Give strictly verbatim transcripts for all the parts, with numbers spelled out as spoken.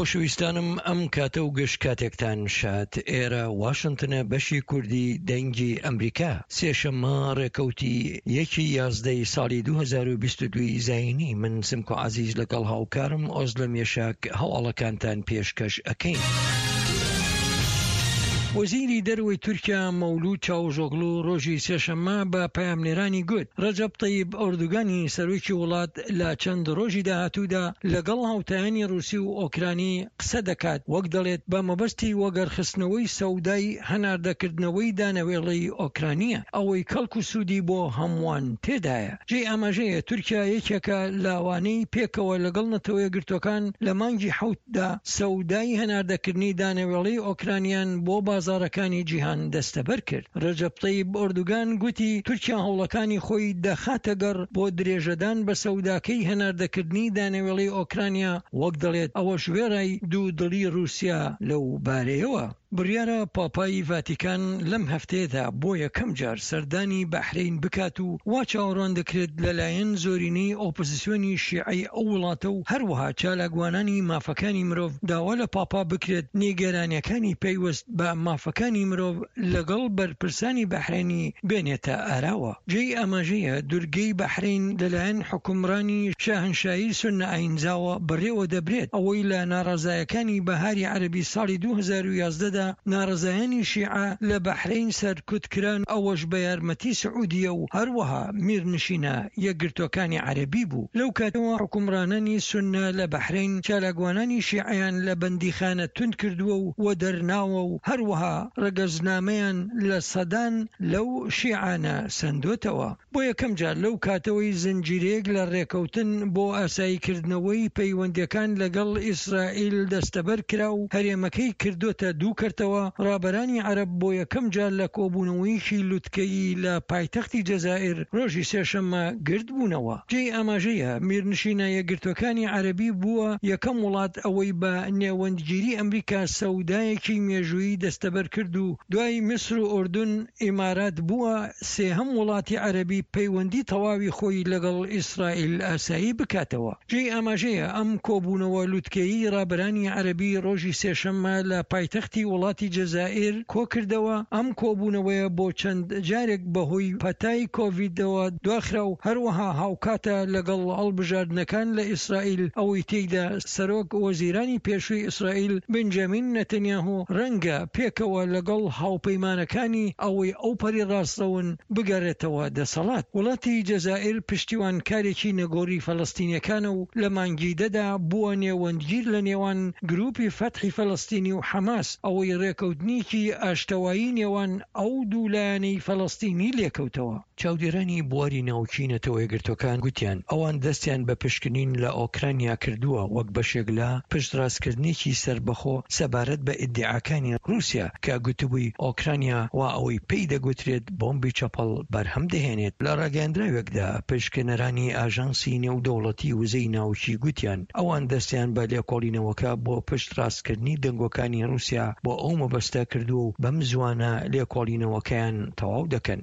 خۆشەویستانم ئەم کاتە و گشت کاتێکتان شاد. ئێرە واشنتنە بەشی کوردی دەنگی ئەمریکا. سێشەممە ڕێکەوتی یەکی یازدەی ساڵی دوو هەزار و بیست و دوو ی زایینی من سمکۆ عەزیز لەگەڵ هاوکارم ئۆزلەم یەشاک هەواڵەکانتان پێشکەش ئەکەین. وەزیری دەرەوەی تورکیا مەولود چاوشئۆغڵو ڕۆژی سێشەممە بە پەیامنێرانی گوت ڕەجەب تەیب ئۆردوگانی سەرۆکی وڵات لە چەند ڕۆژی داهاتوودا لەگەڵ هاوتایانی ڕوسی و ئۆکرانی قسە دەکات، وەک دەڵێت بە مەبەستی وەگەڕخستنەوەی سەودای هەناردەکردنەوەی دانەوێڵەی ئۆکرانییە، ئەوەی کەڵک و سوودی بۆ هەمووان تێدایە. جێی ئاماژەیە تورکیا یەکێکە لەوانەی پێکەوە لەگەڵ نەتەوەیەکگرتووەکان لە مانگی حەوتدا سەودای هەناردەکردنی دانەوێڵەی ئۆکرانیان بۆ بازاڕەکانی جیهان دەستەبەر کرد. رەجەب تەیب ئۆردوگان گوتی تورکیا هەوڵەکانی خۆی دەخاتە گەڕ بۆ درێژەدان بە سەوداکەی هەناردەکردنی دانەوێڵەی ئۆکرانیا، وەک دەڵێت ئەوەش وێڕای دوو دڵی رووسیا لەو بارەیەوە. بڕیارە پاپای ڤاتیکان لەم هەفتەیەدا بۆ یەکەم جار سەردانی بەحرەین بکات و وا چاوەڕوان دەکرێت لەلایەن زۆرینەی ئۆپۆزسیۆنی شیعەی ئەو وڵاتە و هەروەها چالاکوانانی مافەکانی مرۆڤ داوا لە پاپا بکرێت نیگەرانیەکانی پەیوەست بە مافەکانی مرۆڤ لەگەڵ بەرپرسانی بەحرەینی بێنێتە ئاراوە. جێی ئاماژەیە دورگەی بەحرەین لەلایەن حوکمڕانی شاهنشایی سوننە ئایینزاوە بەڕێوە دەبرێت، ئەوەی لە ناڕەزایەکانی بەهاری عەرەبی ساڵی دوو هەزار و یازدە دا ناڕەزایانی شیعە لە بەحرەین سەرکوت کران، ئەوەش بە یارمەتی سعودیە و هەروەها میرنشینە یەکگرتووەکانی عەرەبی بوو. لەو کاتەوە حوکمڕانانی سوننە لە بەحرەین چالاکوانانی شیعەیان لە بەندیخانە توند کردووە و وەدەرناوە و هەروەها ڕەگەزنامەیان لە سەدان لەو شیعانە سەندۆتەوە. بۆ یەکەم جار لەو کاتەوەی زنجیرەیەک لە ڕێکەوتن بۆ ئاساییکردنەوەی پەیوەندییەکان لەگەڵ ئیسرائیل دەستەبەر کرا و هەرێمەکەی کردۆتە دوو کەرتەوە، ڕابەرانی عەرەب بۆ یەکەم جار لە کۆبوونەوەیەکی لوتکەیی لە پایتەختی جەزائیر ڕۆژی سێشەممە گردبوونەوە. جێی ئاماژەیە میرنشینە یەکگرتووەکانی عەرەبی بووە یەکەم وڵات ئەوەی بە نێوەندگیری ئەمریکا سەودایەکی مێژوویی دەستەبەر کرد و دوای میسر و ئوردن ئیمارات بووە سێهەم وڵاتی عەرەبی پەیوەندی تەواوی خۆی لەگەڵ ئیسرائیل ئاسایی بکاتەوە. جێی ئاماژەیە ئەم کۆبوونەوە لوتکەیی ڕابەرانی عەرەبی ڕۆژی سێشەممە لە پایتەختی وڵاتی جەزائیر کۆکردەوە، ئەم کۆبوونەوەیە بۆ چەند جارێک بەهۆی پەتای کۆڤیدەوە دواخرا و هەروەها هاوکاتە لەگەڵ هەڵبژاردنەکان لە ئیسرائیل ئەوەی تێیدا سەرۆک وەزیرانی پێشووی ئیسرائیل بنجامین نەتەنیاهۆ ڕەنگە پێکەوە لەگەڵ هاوپەیمانەکانی ئەوەی ئەوپەڕی ڕاستڕەون بگەڕێتەوە دەسەڵات. وڵاتی جەزائیر پشتیوانکارێکی نەگۆڕی فەلەستینیەکانە و لە مانگی دەدا بووە نێوەندگیر لە نێوان گروپی فەتحی فەلەستینی و حەماس ئەوەی ڕێکەوتنێکی ئاشتەوایی نێوان ئەو دوو لایەنەی فەلەستینی لێکەوتەوە. چاودێرانی بواری ناوکی نەتەوەیەکگرتووەکان گوتیان ئەوان دەستیان بە پشکنین لە ئۆکرانیا کردووە وەک بەشێک لە پشتڕاستکردنێکی سەربەخۆ سەبارەت بە ئیدیعاکانی ڕووسیا کە گوتبووی ئۆکرانیا وا ئەوەی پێی دەگوترێت بۆمبی چەپەڵ بەرهەم دەهێنێت. لە ڕاگەیەندراوێکدا پشکنەرانی ئاژانسی نێودەوڵەتی وزەی ناوکی گوتیان ئەوان دەستیان بە لێکۆڵینەوەکە بۆ پشتڕاستکردنی دەنگۆکانی ڕووسیا بۆ ئەو مەبەستە کردووە و بەم زووانە لێکۆڵینەوەکەیان تەواو دەکەن.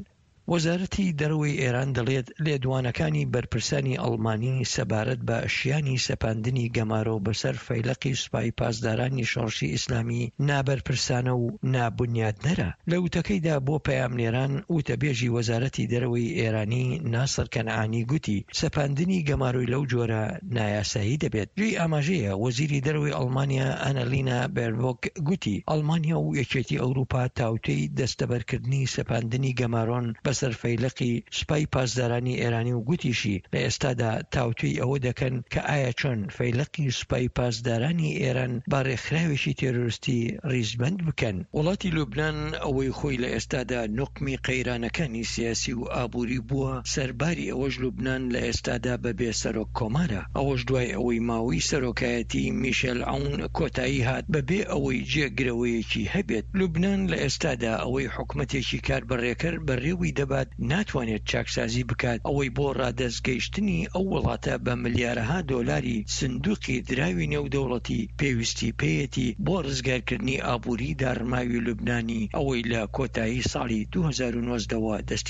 وەزارەتی دەرەوەی ئێران دەڵێت لێدوانەکانی بەرپرسانی ئەڵمانی سەبارەت بە شیانی سەپاندنی گەمارۆ بەسەر فەیلەقی سوپای پاسدارانی شۆڕشی ئیسلامی نابەرپرسانە و نابونیادنەرە. لە وتەکەیدا بۆ پەیامنێران وتەبێژی وەزارەتی دەرەوەی ئێرانی ناسڕ کەنعانی گوتی سەپاندنی گەمارۆی لەو جۆرە نایاسایی دەبێت. جێی ئاماژەیە وەزیری دەرەوەی ئەڵمانیا ئەنەلینا بێربۆک گوتی ئەڵمانیا و یەکێتی ئەوروپا تاوتوێی دەستەبەرکردنی سەپاندنی گەمارۆن بەسەر فەیلەقی سوپای پاسدارانی ئێرانی و گوتیشی لە ئێستادا تاوتوێی ئەوە دەکەن کە ئایا چۆن فەیلەقی سوپای پاسدارانی ئێران بە ڕێکخراوێکی تێرۆرستی ڕیزبەند بکەن. وڵاتی لوبنان ئەوەی خۆی لە ئێستادا نوقمی قەیرانەکانی سیاسی و ئابووری بووە، سەرباری ئەوەش لوبنان لە ئێستادا بەبێ سەرۆک کۆمارە، ئەوەش دوای ئەوەی ماوەی سەرۆکایەتی میشێل عەون کۆتایی هات بەبێ ئەوەی جێگرەوەیەکی هەبێت. لوبنان لە ئێستادا ئەوەی حکومەتێکی کاربەڕێکەر بەڕێوەی دەبات ناتوانێت چاکسازی بکات، ئەوەی بۆ ڕادەست گەیشتنی ئەو وڵاتە بە ملیارەها دۆلاری سندوقی دراوی نێودەوڵەتی پێویستی پێیەتی بۆ ڕزگارکردنی ئابووری داڕماوی لوبنانی ئەوەی لە کۆتایی ساڵی دوو هەزار و نۆزدە وە دەستی